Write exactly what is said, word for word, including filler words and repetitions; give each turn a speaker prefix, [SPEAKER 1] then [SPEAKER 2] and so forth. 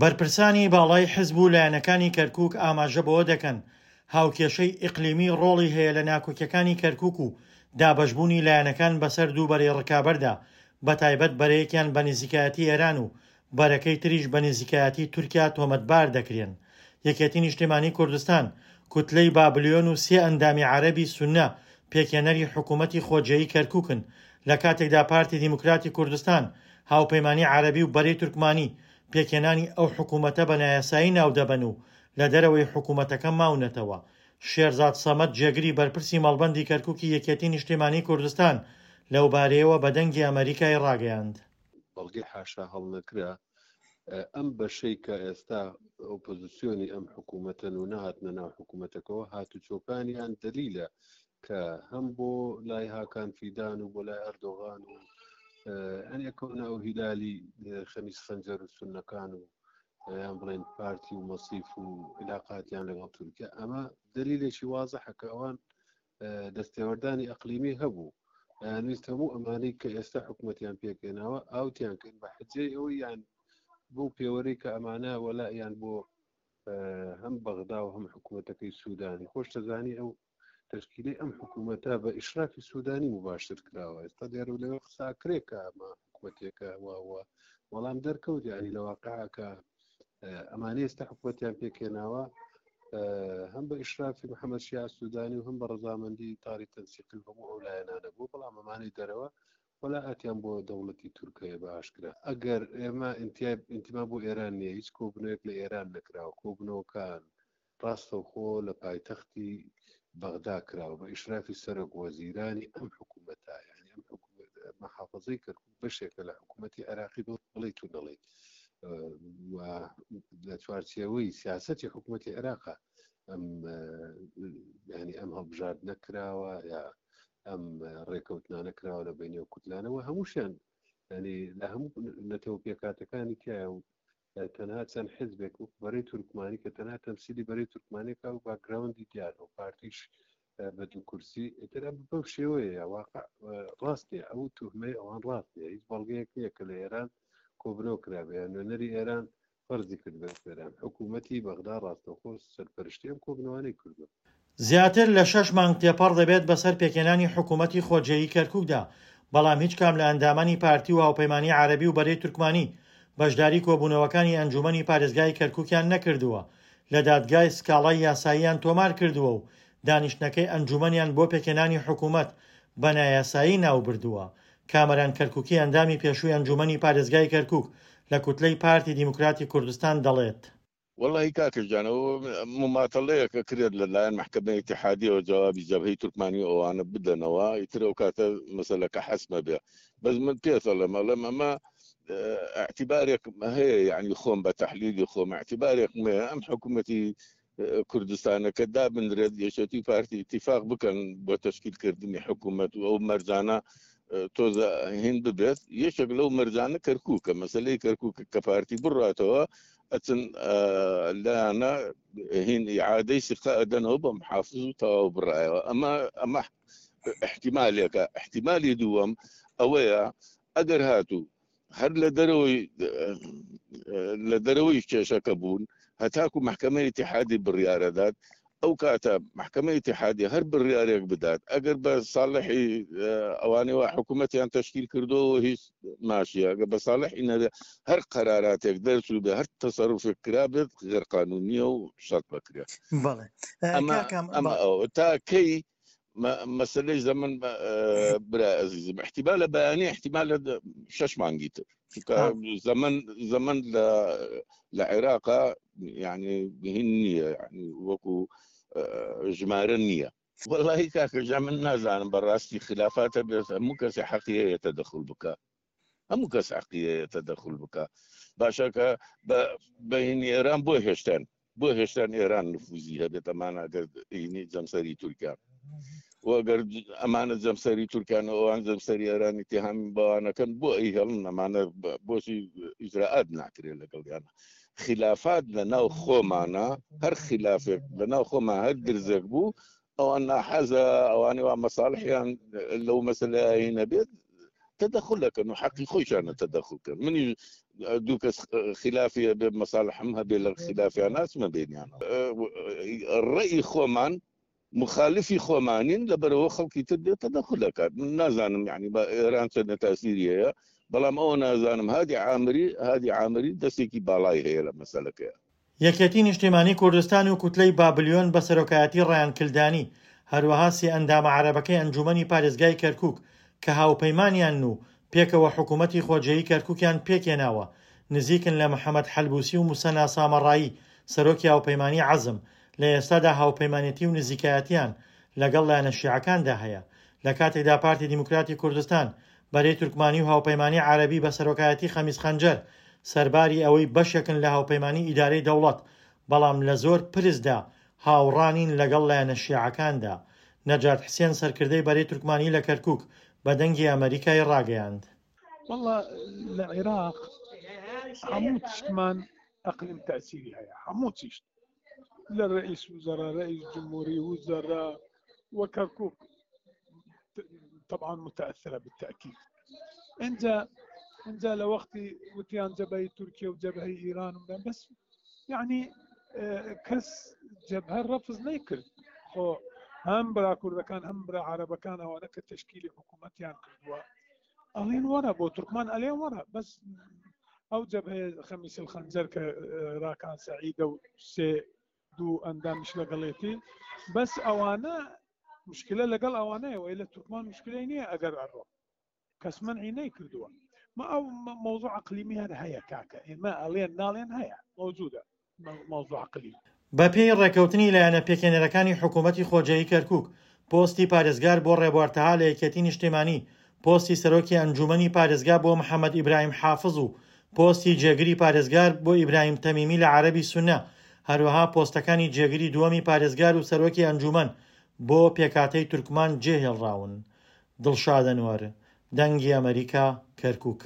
[SPEAKER 1] بەرپرسانی باڵای حزب و لایەنەکانی کەرکوک ئاماژە بەوە دەکەن، هاوکێشەی ئیقلیمی ڕۆڵی هەیە لە ناکۆکیەکانی کەرکوک و دابەشبوونی لایەنەکان بەسەر دوو بەرەی ڕکابەردا، بەتایبەت بەرەیەکیان بە نزیکایەتی ئێران و بەرەکەی تریش بە نزیکایەتی تورکیا تۆمەتبار دەکرێن. یەکێتی نیشتیمانی کوردستان، کوتلەی بابلیۆن و سێ ئەندامی عەرەبی سوننە پێکهێنەری حکوومەتی خۆجێیی کەرکوکن، لە کاتێکدا پارتی دیموکراتی کوردستان، هاوپەیمانی عەرەبی و بەرەی تورکمانی پێکهێنانی ئەو حکوومەتە بە نایاسایی ناودەبەن و لە دەرەوەی حکوومەتەکە ماونەتەوە. شێرزاد سەمەد جێگری بەرپرسی مەڵبەندی کەرکوکی یەکێتی نیشتیمانی کوردستان لەوبارەیەوە بە دەنگی ئەمەریکای ڕاگەیاند.
[SPEAKER 2] بەڵگەی حاشا هەڵنەکرا ئەم بەشەی کە ئێستا ئۆپۆزیسیۆنی ئەم حکوومەتەن و نەهاتنە ناو حکوومەتەکەەوە، هاتوچۆکانیان دەلیلە کە هەم بۆ لای هاکان فیدان و بۆ لای ئەردۆغان و ئەن یەکەونە ئەو هیلالی خەمیس خەنجەر و سوننەکان و یان بڵێن پارتی و مەسیف و علاقاتیان لەگەڵ تورکیا، ئەمە دلیلێکی وازحە کە ئەوان دەستێوەردانی ئەقلیمی هەبوو. ویست هەموو ئەمانەی کە ئێستا حکوومەتیان پێکێناوە ئاوتیان کرد بە حجەی ئەوەی یان بۆ پێوەرەی کە ئەمانە وەلایان بۆ هەم بەغدا و هەم حکوومەتەکەی سوودانی. خۆش دەزانی ئەو تشکیلی ئەم حکوومەتە بە ئیشرافی سوودانی مباشر کراوە. ئێستا دیارە لەوێ قسا کرێ کە ئەمە حکوومەتێکە واوە، بەڵام دەرکەوت یعنی لە واقعە کە ئەمانە ئێستا حکوومەتیان پێکێناوە هەم بە ئیشرافی محەممەد شیاع سوودانی و هەم بە ڕەزامەندی تاری تەنسیقی هەموو ئەو لایەنانە بوو، بەڵام ئەمانەی دەرەوە وەلائەتیان بۆ دەوڵەتی تورکەیە بە ئاشکرا. ئەگەر ئێمە ئینتیما بۆ ئێران نییە، هیچ کۆبنەوەیەک لە ئێران نەکراوە، کۆبنەوەکان ڕاستەوخۆ لە پایتەختی بەغدا کراوە بە ئیشرافی سەرۆک وەزیرانی ئەم حکوومەتە. یعنی ئەم حکوومەت محافظەی کەرکوک بەشێکە لە حکوومەتی عێراقی بڵێیت و نەڵێیت و لە چوارچێوەی سیاسەتی حکوومەتی عێراقا ئەم ینی ئەم هەڵبژاردنە کراوە یا ئەم ڕێکەوتنانە کراوە لە بینی و کوتلانەوە، هەمووشیان ینی لە هەموو نەتەوە پێکاتەکانی تایە و تەنها چەند حزبێک وەک بەرەی تورکمانی کە تەنها تەمسیلی بەرەی تورکمانێکا و باکگراوندی دیارە و پارتیش بە دوو کورسی، ئیتر ئەم بەو شێوەیە واقع ڕاست نییە. ئەو توهمەی ئەوان ڕاست نییە، هیچ بەڵگەیەک نییە کە لە ئێران کۆبنەوە کرابێ یان نوێنەری ئێران فەرزی کردبێت ئێران. حکوومەتی بەغدا ڕاستەوخۆ سەرپەرشتی ئەم کۆبنەوانەی کردووە.
[SPEAKER 1] زیاتر لە شەش مانگ تێپەڕ دەبێت بەسەر پێکهێنانی حکوومەتی خۆجێیی کەرکوکدا، بەڵام هیچ کام لە ئەندامانی پارتی و هاوپەیمانی عەرەبی و بەرەی تورکمانی بەشداری کۆبوونەوەکانی ئەنجوومەنی پارێزگای کەرکوکیان نەکردووە، لە دادگای سکاڵای یاساییان تۆمار کردووە و دانیشتنەکەی ئەنجوومەنیان بۆ پێکهێنانی حکوومەت بە نایاسایی ناوبردووە. کامەران کەرکوکی ئەندامی پێشووی ئەنجوومەنی پارێزگای کەرکوک لە کوتلەی پارتی دیموکراتی کوردستان دەڵێت،
[SPEAKER 3] وەڵاهی کاکە گیان ئەوە مماتەڵەیەکە کرێت لە لایەن مەحکەمەی ئیتیحادیەوە جوابی جەبهەی تورکمانی و ئەوانە بدەنەوە، ئیتر ئەو کاتە مەسەلەکە حەسمە بێ. بەس من پێت ئەڵێم ئەڵێم ئەمە اعتبارێک هەیە، یعنی خۆم بە تەحلیلی خۆم اعتبارێکم هەیە ئەم حکوومەتی کوردستانەکە دابنرێت یەکێتی پارتی ئیتیفاق بکەن بۆ تەشکیلکردنی حکوومەت و ئەو مەرجانە تۆزە هین ببێت. یەکێک لەو مەرجانە کەرکووکە، مەسلەی کەرکووک کە پارتی بڕاتەوە ئەچن لایانە هین ئیعادەی سیقە ئەدەنەوە بە محافظ و تەواو بڕایەوە. ئەمە ئەمە احتیمالێکە. احتیمالی دووەم ئەوەیە ئەگەر هاتوو هەر لە دەرەوەی لە دەرەوەی کێشەکە بوون هەتاکو محکمەی ئیتیحادی بڕیارەدات، ئەو کاتە محکمەی ئیتیحادی هەر بڕیارێک بدات ئەگەر بە ساڵحی ئەوانەی وا حکوومەتیان تەشکیل کردەوە هیچ ماشیە، ئەگەر بە ساڵحی نەبێ هەر قەراراتێک دەرچوو بێ هەر تەسەروفێک کرابێت غێر قانونیە و شەرت بکرێت.
[SPEAKER 4] بەڵێ
[SPEAKER 3] ئەمە ئەمە ئەوە تا کەی مەسەلەی زەمن برا ئەزیزم احتیمالە بەیانی احتیمالە شەش مانگی تر، چونکە زەمن زەمن لە لە عێراقا یعنی هین نییە، یعنی وەکو ژمارە نییە. وەڵاهی کاکە جا من نازانم بەڕاستی خلافاتە بێت، هەموو کەسی حەقی هەیە تەدەخول بکە، هەموو کەس حەقی هەیە تەدەخول بکە. باشە کە بە هینی ئێران بۆ هێشتان بۆ هێشتان ئێران نفوزی هەبێت ئەمانە ئەگەر هینی جەمسەری تورکیا و ئەگەر ئەمانە جەمسەری تورکیان و ئەوان جەمسەری ئێرانی اتهام بەوانەکەن بۆ ئەیهێڵن ئەمانە بۆچی ئیجرائات ناکرێت لەگەڵیانە. خلافات لە ناو خۆمانە، هەر خلافێک لە ناو خۆمان هەر درزێک بوو ئەوان ناحەزە ئەوانەی وا مەساڵحیان لەو مەسەلەیە نەبێت تەدەخول ئەکەن و حەقی خۆیشانە تەدەخول کەن. منیش دوو کەس خلافی هەبێ مەسالحم هەبێ لە خلافیان ناچمە بینیانەوە. ڕەئی خۆمان مخالفی خۆمانین، لەبەرەوە خەڵکی تر دێت تەدەخول ئەکات. من نازانم یعنی بە ئێران چەندە تاسیری هەیە، بەڵام ئەوە نازانم هادی عامری، هادی عامری دەستێکی باڵای هەیە لە مەسەلەکەیە.
[SPEAKER 1] یەکێتی نیشتیمانی کوردستان و کوتلەی بابلیۆن بە سەرۆکایەتی ڕەیان کلدانی، هەروەها سێ ئەندامە عەرەبەکەی ئەنجومەنی پارێزگای کەرکوک کە هاوپەیمانیانن و پێکەوە حکوومەتی خۆجێیی کەرکوکیان پێکهێناوە، نزیکن لە محەمەد حەلبوسی و موسەنا سامەڕایی سەرۆکی هاوپەیمانی عەزم، لە ئێستادا هاوپەیمانێتی و نزیکایەتیان لەگەڵ لایەنە شیعەکاندا هەیە. لە کاتێکدا پارتی دیموکراتی کوردستان، بەرەی تورکمانی و هاوپەیمانی عەرەبی بە سەرۆکایەتی خەمیس خەنجەر، سەرباری ئەوەی بەشێکن لە هاوپەیمانی ئیدارەی دەوڵەت، بەڵام لە زۆر پرسدا هاوڕا نین لەگەڵ لایەنە شیعەکاندا. نەجات حسێن سەرکردەی بەرەی تورکمانی لە کەرکوک بە دەنگی ئەمەریکای ڕاگەیاند.
[SPEAKER 4] وەڵا لە عێراق هەموو تشتمان ئەقلیم تەئسیری هەیە، هەموو تشت لە رئیس وزراء، رئیس جمهوری، وزراء و کەرکوک طبعا متأثرة بالتأكيد. انجا انجا لوقتي وتيان جبهة تركيا وجبهة ايران بس يعني کەس جبهە ڕەفز نەیکرد. خۆ هەم برا کوردەکان هەم برا عەرەبەکان ئەوانە کە تەشکیلی حکوومەتیان کردووە ئەڵێن وەرە بۆ تورکمان ئەلێن وەرە، بەس ئەو جەبهەیە خەمیس الخەنجەر کە ڕاکان سەعیدە و سێ دوو ئەندامیش لەگەڵێتی، بەس ئەوانە مشکلە لەگەڵ ئەوانەیە، وەی لە تورکمان مشکلەی نییە ئەگەر ئەڕۆ کەس مەنعی نەیکردووە. ما ئەو مەوزوع عەقلیمی هەر هەیە کاکە، ئێمە ئەڵێن ناڵێن هەیە مەوجودە مەوزوع عەقلی.
[SPEAKER 1] بەپێی ڕێکەوتنی لایەنە پێکهێنەرەکانی حکوومەتی خۆجێیی کەرکوک، پۆستی پارێزگار بۆ ڕێبوار تەها لە یەکێتی نیشتیمانی، پۆستی سەرۆکی ئەنجومەنی پارێزگا بۆ محەممەد ئیبراهیم حافز و پۆستی جێگری پارێزگار بۆ ئیبراهیم تەمیمی لە عەرەبی سونە، هەروەها پۆستەکانی جێگری دووەمی پارێزگار و سەرۆکی ئەنجومەن بۆ پێکهاتەی تورکمان جێهێڵراون. دڵشاد ئەنوەر، دەنگی ئەمەریکا، کەرکوک.